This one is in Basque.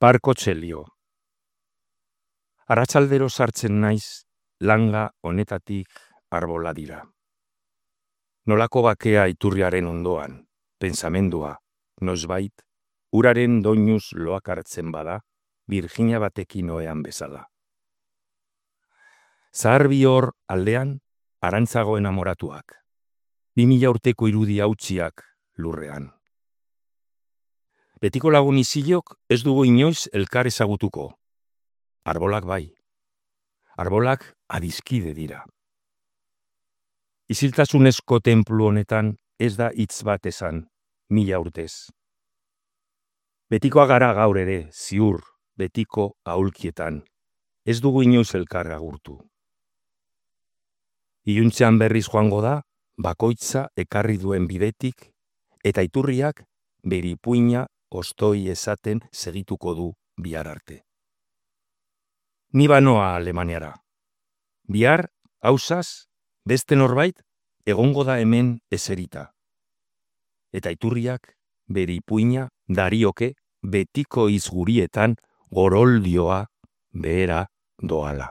Parko txelio. Arratsaldero sartzen naiz, langa honetatik arbola dira. Nolako bakea iturriaren ondoan, pentsamendua, noizbait, uraren doinuz loak hartzen bada, Virginia batekin oean bezala. Zahar bihor aldean, arantzago enamoratuak. 2000 urteko irudi hautsiak lurrean. Betiko lagun izilok ez dugu inoiz elkar ezagutuko. Arbolak bai. Arbolak adiskide dira. Iziltasunezko tenplu honetan ez da hitz bat esan, 1000 urtez. Betikoa gara gaur ere, ziur, betiko aulkietan. Ez dugu inoiz elkar agurtu. Iluntzean berriz joango da, bakoitza ekarri duen bidetik, eta iturriak bere ipuina ostoi esaten segituko du bihar arte. Ni banoa Alemaniara. Bihar, hausaz, beste norbait, egongo da hemen eserita. Eta iturriak bere ipuina darioke betiko izgurietan goroldioa behera doala.